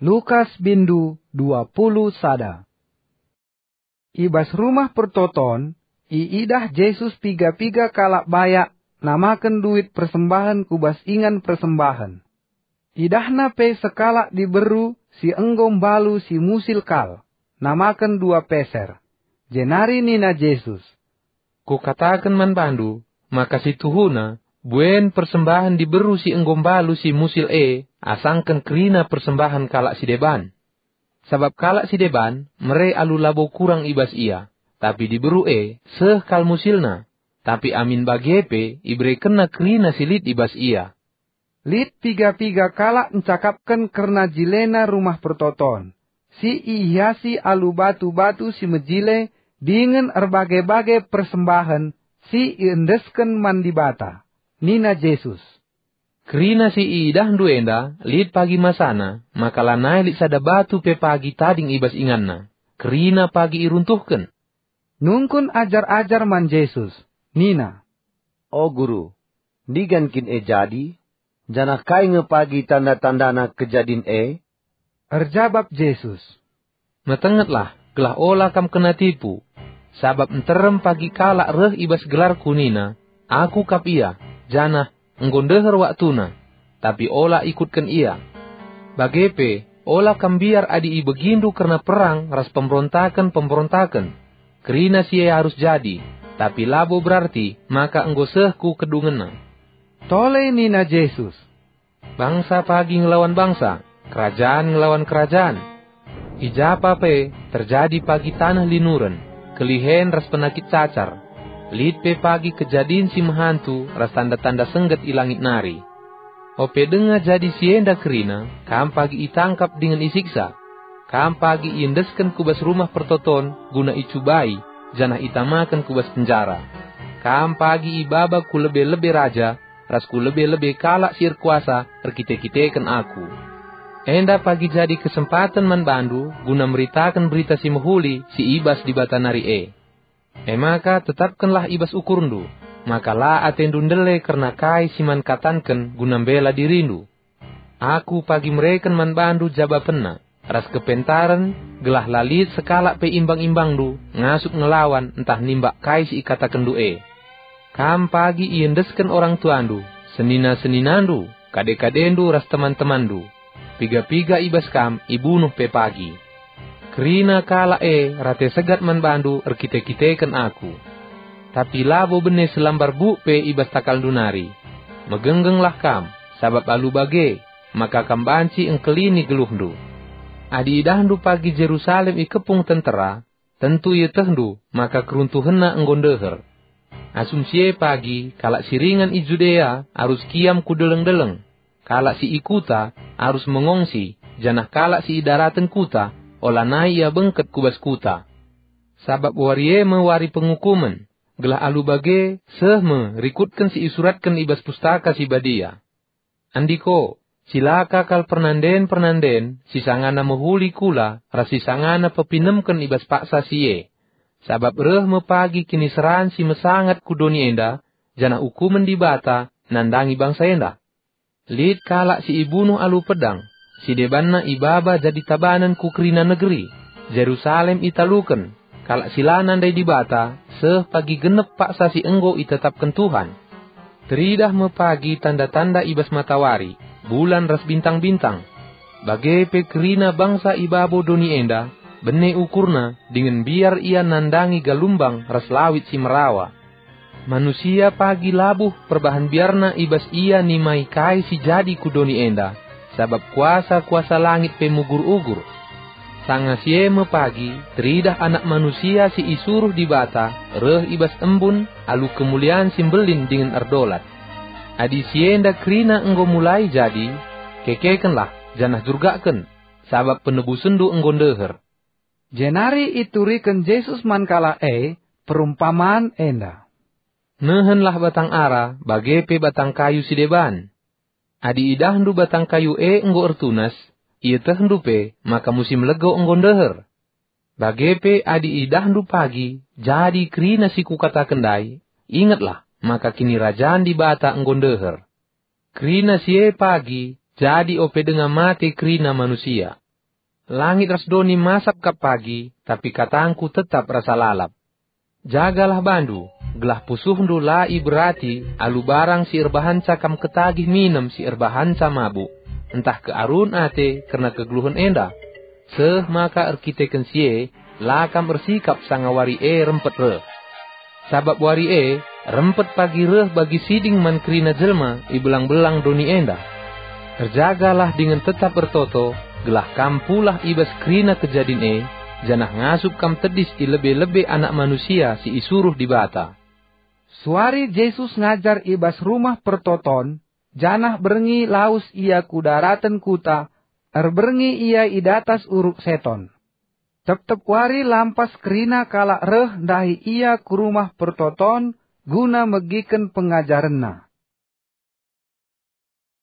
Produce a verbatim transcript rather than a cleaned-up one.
Lukas bindu dua puluh sada. I bas Rumah Pertoton, iidah Jesus piga-piga kalak bayak namaken duit persembahen ku bas ingan persembahen. Idahna pe sekalak diberu si enggo mbalu si musil kal, namaken dua peser. Jenari nina Jesus, "Kukataken man bandu, maka si tuhuna, buen persembahen diberu si enggo mbalu si musil e asangken kerina persembahen kalak si deban. Sabap kalak si deban mere alu labo kurang i bas ia, tapi diberu e seh kal musilna, tapi amin bage pe iberekenna kerina si lit i bas ia." Lit piga-piga kalak ncakapken kerna jilena Rumah Pertoton, si ihiasi alu batu-batu si mejile dingen erbage-bage persembahen si iendesken man Dibata. Nina Jesus, "Kerina si iidahndu enda lit pagi masana, maka lanai lit sada batu pe pagi tading i bas inganna. Kerina pagi iruntuhken." Nungkun ajar-ajar man Jesus, nina, "O Guru, ndigan kin e jadi? Janah kai nge pagi tanda-tandana kejadin e?" Erjabap Jesus, "Metengetlah, gelah ola kam kena tipu. Sabap nterem pagi kalak reh i bas gelarKu nina, 'Aku kap ia,' janah, 'Enggo ndeher waktuna,' tapi ola ikutken ia. Bage pe, ola kam mbiar adi ibegindu kerna perang ras pemberontaken-pemberontaken. Kerina si e arus jadi, tapi labo berarti maka enggo seh ku kedungenna." Tole nina Jesus, "Bangsa pagi ngelawan bangsa, kerajan ngelawan kerajan. I japa pe terjadi pagi taneh linuren, kelihen ras penakit cacar. Lit pe pagi kejadin si mehantu ras tanda-tanda sengget i langit nari. Ope denga jadi si enda kerina, kam pagi itangkap dingen isiksa. Kam pagi iendesken ku bas Rumah Pertoton guna icubai, janah itamaken ku bas penjara. Kam pagi ibaba ku lebe-lebe raja, ras ku lebe-lebe kalak si erkuasa erkite-kiteken Aku. Enda pagi jadi kesempaten man bandu guna meritaken Berita Si Mehuli si i bas Dibata nari e. E maka tetapkenlah i bas ukurndu, maka la atendu ndele kerna kai si man katanken guna mbela dirindu. Aku pagi mereken man bandu jabapenna ras kepentaren, gelah la lit sekalak pe imbang-imbangndu ngasup ngelawan ntah nimbak kai si ikatakenndu e. Kam pagi iendesken orang tuandu, senina-seninandu, kade-kadendu ras teman-temanndu. Piga-piga i bas kam ibunuh pe pagi. Kerina kalak e rate segat man bandu erkite-kiteken Aku. Tapi labo bene selambar buk pe i bas takalndu nari. Megenggenglah kam, sabap alu bage, maka kam banci engkelini geluhndu. Adi idahndu pagi Jerusalem ikepung tentera, tentu ietehndu maka keruntuhenna enggo ndeher. Asum si e pagi kalak si ringan i Judea arus kiam ku deleng-deleng. Kalak si i kuta arus mengongsi, janah kalak si i daraten kuta olanai ia bengket ku bas kuta. Sabap wari e me wari pengukumen, gelah alu bage seh me rikutken si isuratken i bas Pustaka Si Badia. Andiko, cilaka kal pernanden-pernanden si sangana mehuli kula ras si sangana pepinemken i bas paksa si e. Sabap reh me pagi kiniseran si mesangat ku doni enda, janah ukumen Dibata nandangi bangsa enda. Lit kalak si ibunuh alu pedang, si debanna ibaba jadi tabanen ku kerina negeri, Jerusalem italuken, kalak si la nandai Dibata, seh pagi genep paksa si enggo itetapken Tuhan. Teridah me pagi tanda-tanda i bas matawari, bulan ras bintang-bintang. Bage pe kerina bangsa i babo doni enda, bene ukurna, dingen mbiar ia nandangi galumbang ras lawit si merawa. Manusia pagi labuh perbahan biarna i bas ia nimai kai si jadi ku doni enda, sabap kuasa-kuasa langit pe mugur-ugur. Sanga si e me pagi teridah Anak Manusia si isuruh Dibata reh i bas embun alu kemulian si mbelin dingen erdolat. Adi si enda kerina enggo mulai jadi, kekekenlah janah jurgakken, sabap penebusenndu enggo ndeher. Jenari ituriken Jesus man kalak e perumpaman enda, "Nehenlah batang ara bage pe batang kayu si deban. Adi idahndu batang kayu e enggo ertunas, ietehndu pe maka musim lego enggo ndeher. Bage pe adi idahndu pagi jadi kerina si kukataken ndai, ingetlah maka Kinirajan Dibata enggo ndeher. Kerina si e pagi jadi ope denga mate kerina manusia. Langit ras doni masap kap pagi, tapi katangku tetap rasa lalap. Jagalah bandu, gelah pusuhndu la iberati alu barang si erbahanca kam ketagih minem si erbahanca mabuk, ntah kearun ate kerna kegeluhen enda. Seh maka erkiteken si e, la kam ersikap sanga wari e rempet reh. Sabap wari e rempet pagi reh bagi siding man kerina jelma i belang-belang doni enda. Erjagalah dingen tetap ertoto, gelah kam pulah i bas kerina kejadin e, janah ngasup kam tedis i lebe-lebe Anak Manusia si isuruh Dibata. Suari Jesus ngajar i bas Rumah Pertoton, janah berngi lawes ia ku daraten kuta, erberngi ia i datas uruk Seton. Tep-tep wari lampas kerina kalak reh ndahi ia ku Rumah Pertoton guna megiken pengajarenna.